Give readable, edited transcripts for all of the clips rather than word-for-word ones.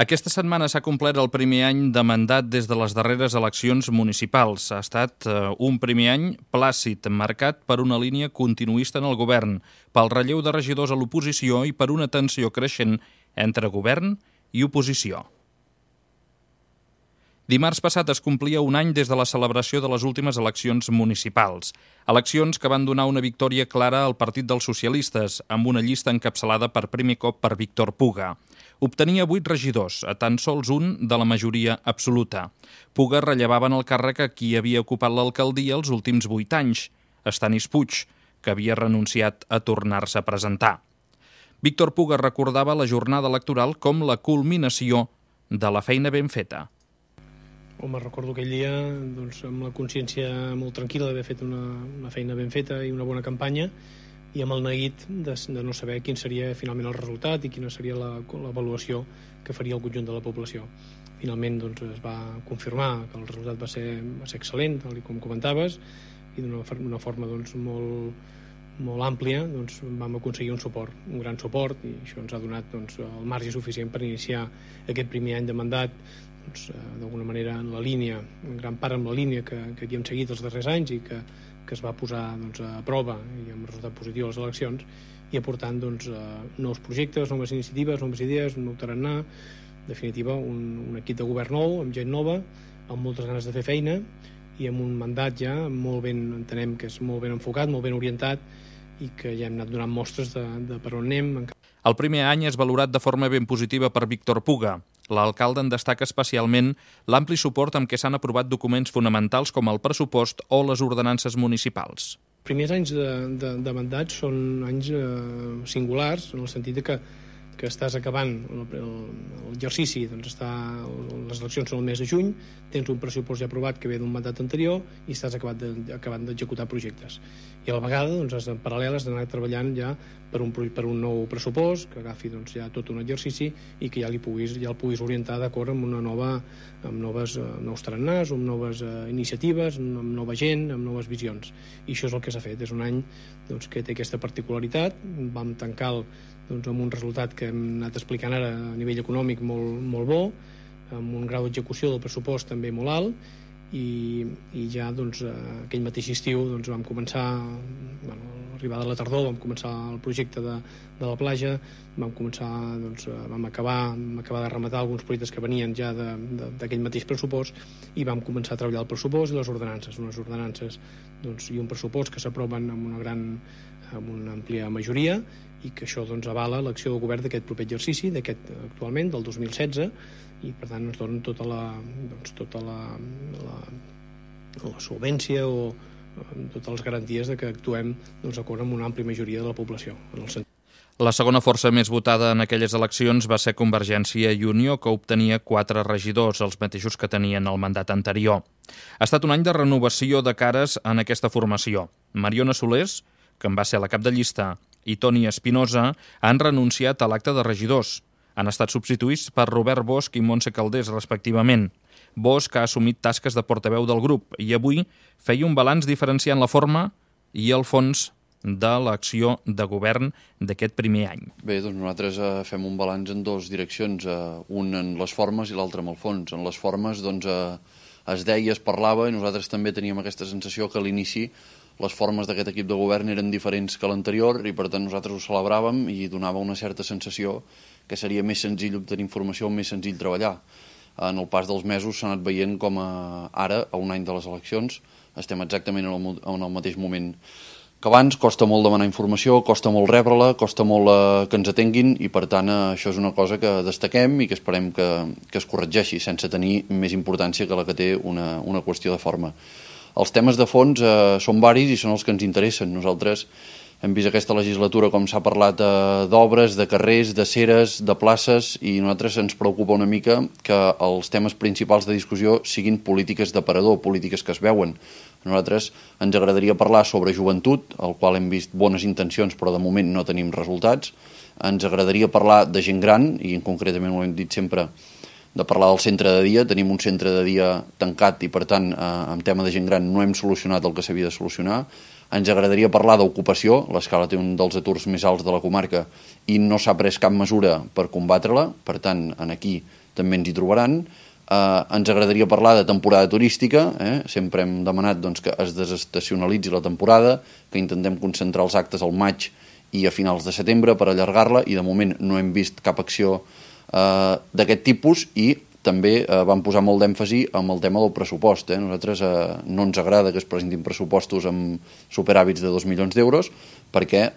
Aquesta setmana s'ha complert el primer any de mandat des de les darreres eleccions municipals. Ha estat un primer any plàcid, marcat per una línia continuista en el govern, pel relleu de regidors a l'oposició i per una tensió creixent entre govern i oposició. Dimarts passat es complia un any des de la celebració de les últimes eleccions municipals. Eleccions que van donar una victòria clara al Partit dels Socialistes, amb una llista encapçalada per primer cop per Víctor Puga. Obtenia 8 regidors, a tan sols un de la majoria absoluta. Puga rellevava en el càrrec a qui havia ocupat l'alcaldia els últims 8 anys, Estanis Puig, que havia renunciat a tornar-se a presentar. Víctor Puga recordava la jornada electoral com la culminació de la feina ben feta. Home, recordo aquell dia amb la consciència molt tranquil·la d'haver fet una feina ben feta i una bona campanya i amb el neguit de no saber quin seria finalment el resultat i quina seria l'avaluació que faria el conjunt de la població. Finalment es va confirmar que el resultat va ser excel·lent, tal com comentaves, i d'una forma molt àmplia vam aconseguir un gran suport, i això ens ha donat el marge suficient per iniciar aquest primer any de mandat d'alguna manera en la línia, en gran part amb la línia que havíem seguit els darrers anys i que es va posar a prova i amb resultat positiu a les eleccions, i aportant nous projectes, noves iniciatives, noves idees, un nou tarannà, en definitiva un equip de govern nou, amb gent nova, amb moltes ganes de fer feina i amb un mandat ja molt ben, entenem que és molt ben enfocat, molt ben orientat i que ja hem anat donant mostres de per on anem. El primer any és valorat de forma ben positiva per Víctor Puga. L'alcalde en destaca especialment l'ampli suport amb què s'han aprovat documents fonamentals com el pressupost o les ordenances municipals. Els primers anys de mandat són anys singulars, en el sentit que estàs acabant l'exercici, les eleccions són el mes de juny, tens un pressupost ja aprovat que ve d'un mandat anterior i estàs acabant d'executar projectes. I a la vegada, en paral·lel, has d'anar treballant ja per un nou pressupost que agafi ja tot un exercici i que ja el puguis orientar d'acord amb nous tarannàs, amb noves iniciatives, amb nova gent, amb noves visions. I això és el que s'ha fet. És un any que té aquesta particularitat. Vam tancar amb un resultat que hem anat explicant ara a nivell econòmic molt bo, amb un grau d'execució del pressupost també molt alt, i ja aquell mateix estiu vam començar, arribada la tardor, vam començar el projecte de la platja, vam acabar de rematar alguns projectes que venien ja d'aquell mateix pressupost i vam començar a treballar el pressupost i les ordenances, unes ordenances i un pressupost que s'aproven amb una àmplia majoria i que això avala l'acció del govern d'aquest proper exercici, actualment, del 2016, i per tant ens donen tota la solvència o totes les garanties que actuem d'acord amb una àmplia majoria de la població. La segona força més votada en aquelles eleccions va ser Convergència i Unió, que obtenia 4 regidors, els mateixos que tenien el mandat anterior. Ha estat un any de renovació de cares en aquesta formació. Mariona Solers, que en va ser la cap de llista, i Toni Espinosa han renunciat a l'acte de regidors. Han estat substituïts per Robert Bosch i Montse Calders, respectivament. Bosch ha assumit tasques de portaveu del grup i avui feia un balanç diferenciant la forma i el fons de l'acció de govern d'aquest primer any. Bé, nosaltres fem un balanç en 2 direccions, un en les formes i l'altre en el fons. En les formes es deia, es parlava, i nosaltres també teníem aquesta sensació que a l'inici les formes d'aquest equip de govern eren diferents que l'anterior i per tant nosaltres ho celebràvem i donava una certa sensació que seria més senzill obtenir informació, més senzill treballar. En el pas dels mesos s'ha anat veient com ara, a un any de les eleccions, estem exactament en el mateix moment que abans. Costa molt demanar informació, costa molt rebre-la, costa molt que ens atenguin i per tant això és una cosa que destaquem i que esperem que es corregeixi sense tenir més importància que la que té una qüestió de forma. Els temes de fons són varis i són els que ens interessen. Nosaltres hem vist aquesta legislatura com s'ha parlat d'obres, de carrers, de ceres, de places, i a nosaltres ens preocupa una mica que els temes principals de discussió siguin polítiques d'aparador, polítiques que es veuen. A nosaltres ens agradaria parlar sobre joventut, al qual hem vist bones intencions però de moment no tenim resultats. Ens agradaria parlar de gent gran, i concretament ho hem dit sempre, de parlar del centre de dia. Tenim un centre de dia tancat i per tant en tema de gent gran no hem solucionat el que s'havia de solucionar. Ens agradaria parlar d'ocupació. L'Escala té un dels aturs més alts de la comarca i no s'ha pres cap mesura per combatre-la. Per tant, aquí també ens hi trobaran. Ens agradaria parlar de temporada turística, sempre hem demanat doncs, que es desestacionalitzi la temporada, que intentem concentrar els actes al maig i a finals de setembre per allargar-la, i de moment no hem vist cap acció d'aquest tipus, i també vam posar molt d'èmfasi amb el tema del pressupost. Nosaltres no ens agrada que es presentin pressupostos amb superàvits de 2 milions d'euros, perquè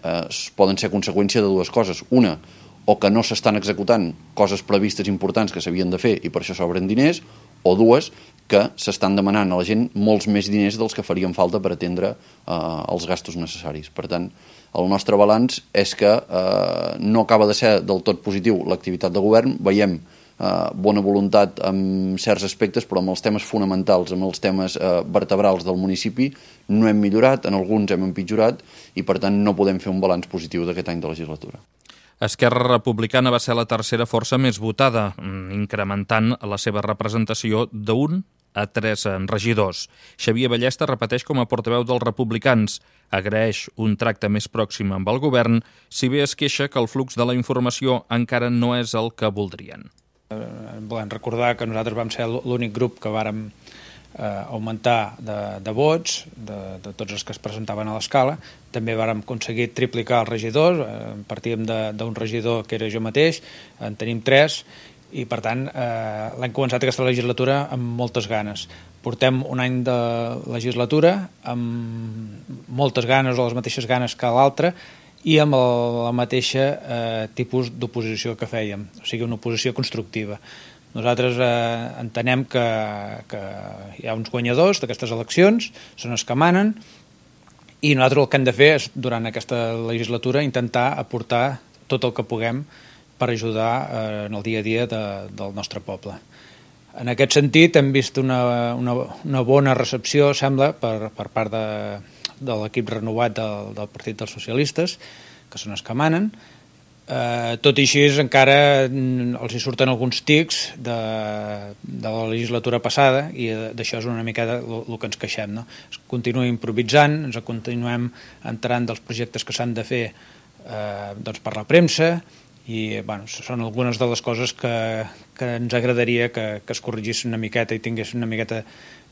poden ser conseqüència de dues coses. Una, o que no s'estan executant coses previstes importants que s'havien de fer i per això s'obren diners, o dues, que s'estan demanant a la gent molts més diners dels que farien falta per atendre els gastos necessaris. Per tant, el nostre balanç és que no acaba de ser del tot positiu l'activitat de govern. Veiem bona voluntat en certs aspectes, però amb els temes fonamentals, amb els temes vertebrals del municipi, no hem millorat, en alguns hem empitjorat, i per tant no podem fer un balanç positiu d'aquest any de legislatura. Esquerra Republicana va ser la tercera força més votada, incrementant la seva representació d'1 a 3 regidors. Xavier Ballesta repeteix com a portaveu dels republicans. Agraeix un tracte més pròxim amb el govern, si bé es queixa que el flux de la informació encara no és el que voldrien. Volem recordar que nosaltres vam ser l'únic grup que vàrem augmentar de vots, de tots els que es presentaven a l'escala. També vàrem aconseguir triplicar els regidors, partíem d'un regidor que era jo mateix, en tenim 3, i per tant l'hem començat aquesta legislatura amb moltes ganes. Portem un any de legislatura amb moltes ganes, o les mateixes ganes que l'altra, i amb la mateixa tipus d'oposició que fèiem, o sigui, una oposició constructiva. Nosaltres entenem que hi ha uns guanyadors d'aquestes eleccions, són els que manen, i nosaltres el que hem de fer és, durant aquesta legislatura, intentar aportar tot el que puguem per ajudar en el dia a dia del nostre poble. En aquest sentit, hem vist una bona recepció, sembla, per part de l'equip renovat del Partit dels Socialistes, que són els que manen. Tot i així, encara els hi surten alguns tics de la legislatura passada, i d'això és una mica el que ens queixem, no? Es continua improvisant, ens continuem enterant dels projectes que s'han de fer per la premsa, i són algunes de les coses que ens agradaria que es corrigissin una miqueta i tinguessin una miqueta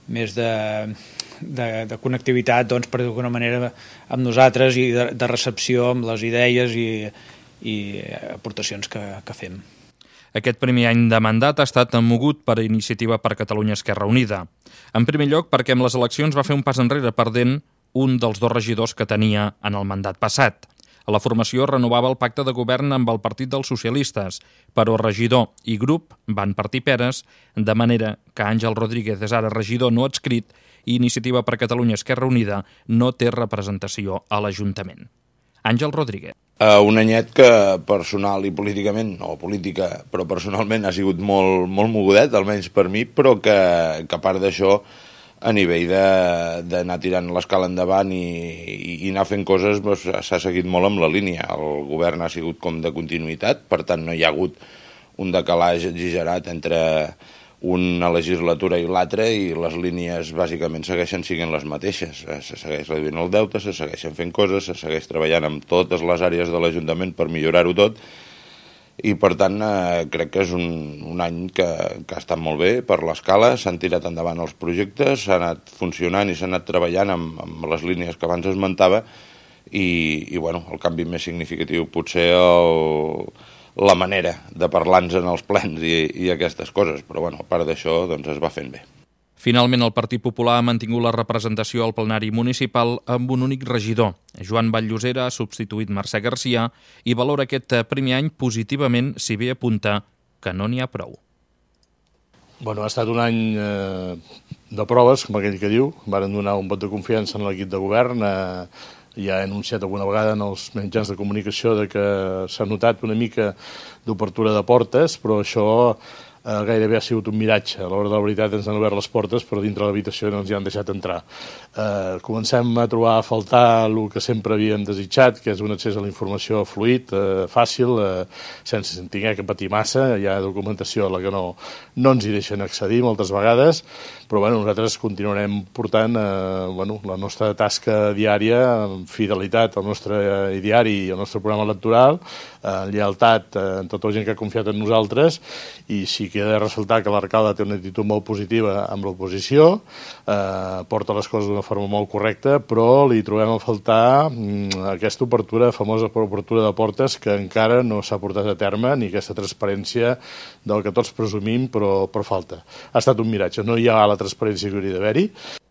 més de connectivitat, per d'alguna manera, amb nosaltres, i de recepció amb les idees i aportacions que fem. Aquest primer any de mandat ha estat mogut per Iniciativa per Catalunya Esquerra Unida. En primer lloc, perquè amb les eleccions va fer un pas enrere, perdent un dels 2 regidors que tenia en el mandat passat. La formació renovava el pacte de govern amb el Partit dels Socialistes, però regidor i grup van partir peres, de manera que Àngel Rodríguez és ara regidor no adscrit i Iniciativa per Catalunya Esquerra Unida no té representació a l'Ajuntament. Àngel Rodríguez. Un anyet que personal i políticament, no política, però personalment ha sigut molt mogudet, almenys per mi, però que a part d'això, a nivell d'anar tirant l'escala endavant i anar fent coses, s'ha seguit molt amb la línia. El govern ha sigut com de continuïtat, per tant no hi ha hagut un decalatge exagerat entre una legislatura i l'altra, i les línies bàsicament segueixen sent les mateixes. Se segueix reduint el deute, se segueixen fent coses, se segueix treballant amb totes les àrees de l'Ajuntament per millorar-ho tot, i per tant crec que és un any que ha estat molt bé per l'escala. S'han tirat endavant els projectes, s'ha anat funcionant i s'ha anat treballant amb les línies que abans esmentava, i el canvi més significatiu potser la manera de parlar-nos en els plens i aquestes coses, però a part d'això es va fent bé. Finalment, el Partit Popular ha mantingut la representació al plenari municipal amb un únic regidor. Joan Vall-llosera ha substituït Mercè Garcia i valora aquest primer any positivament, si bé apunta que no n'hi ha prou. Ha estat un any de proves, com aquell que diu. Varen donar un vot de confiança en l'equip de govern. Ja he anunciat alguna vegada en els mitjans de comunicació que s'ha notat una mica d'obertura de portes, però això gairebé ha sigut un miratge. A l'hora de la veritat ens han obert les portes, però dintre l'habitació no ens hi han deixat entrar. Comencem a trobar a faltar el que sempre havíem desitjat, que és un accés a la informació fluid, fàcil, sense haver que patir massa. Hi ha documentació a la que no ens hi deixen accedir moltes vegades, però nosaltres continuarem portant la nostra tasca diària amb fidelitat al nostre diari i al nostre programa electoral, lleialtat a tota la gent que ha confiat en nosaltres, i sí que he de ressaltar que l'alcalde té una actitud molt positiva amb l'oposició, porta les coses d'una forma molt correcta, però li trobem a faltar aquesta famosa obertura de portes que encara no s'ha portat a terme, ni aquesta transparència del que tots presumim, però falta. Ha estat un miratge, no hi ha la transparència que hauria d'haver-hi.